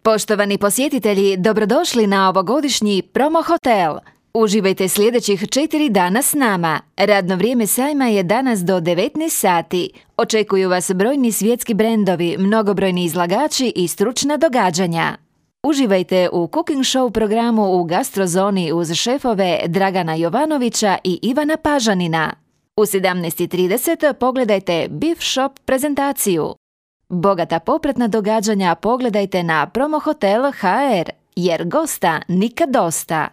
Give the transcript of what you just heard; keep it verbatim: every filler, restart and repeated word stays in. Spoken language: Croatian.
Poštovani posjetitelji, dobrodošli na ovogodišnji Promo Hotel. Uživajte sljedećih četiri dana s nama. Radno vrijeme sajma je danas do devetnaest sati. Očekuju vas brojni svjetski brendovi, mnogobrojni izlagači i stručna događanja. Uživajte u cooking show programu u gastrozoni uz šefove Dragana Jovanovića i Ivana Pažanina. U sedamnaest i trideset pogledajte Beef Shop prezentaciju. Bogata popratna događanja pogledajte na Promo Hotel ha er, jer gosta nikad dosta.